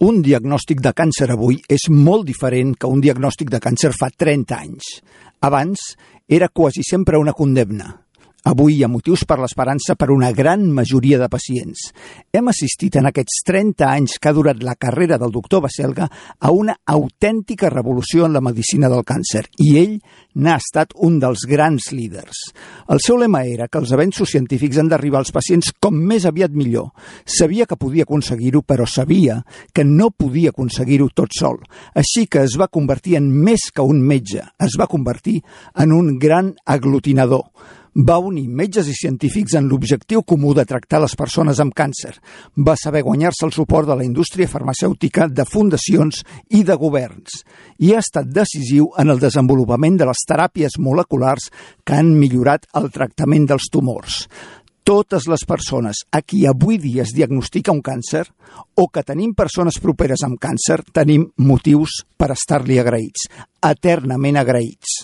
Un diagnòstic de càncer avui és molt diferent que un diagnòstic de càncer fa 30 anys. Abans era quasi sempre una condemna. Avui hi ha motius per l'esperança per una gran majoria de pacients. Hem assistit en aquests 30 anys que ha durat la carrera del doctor Baselga a una autèntica revolució en la medicina del càncer i ell n'ha estat un dels grans líders. El seu lema era que els avenços científics han d'arribar als pacients com més aviat millor. Sabia que podia aconseguir-ho, però sabia que no podia aconseguir-ho tot sol. Així que es va convertir en més que un metge, es va convertir en un gran aglutinador. Va unir metges i científics en l'objectiu comú de tractar les persones amb càncer. Va saber guanyar-se el suport de la indústria farmacèutica, de fundacions i de governs. I ha estat decisiu en el desenvolupament de les teràpies moleculars que han millorat el tractament dels tumors. Totes les persones a qui avui dia es diagnostica un càncer o que tenim persones properes amb càncer, tenim motius per estar-li agraïts, eternament agraïts.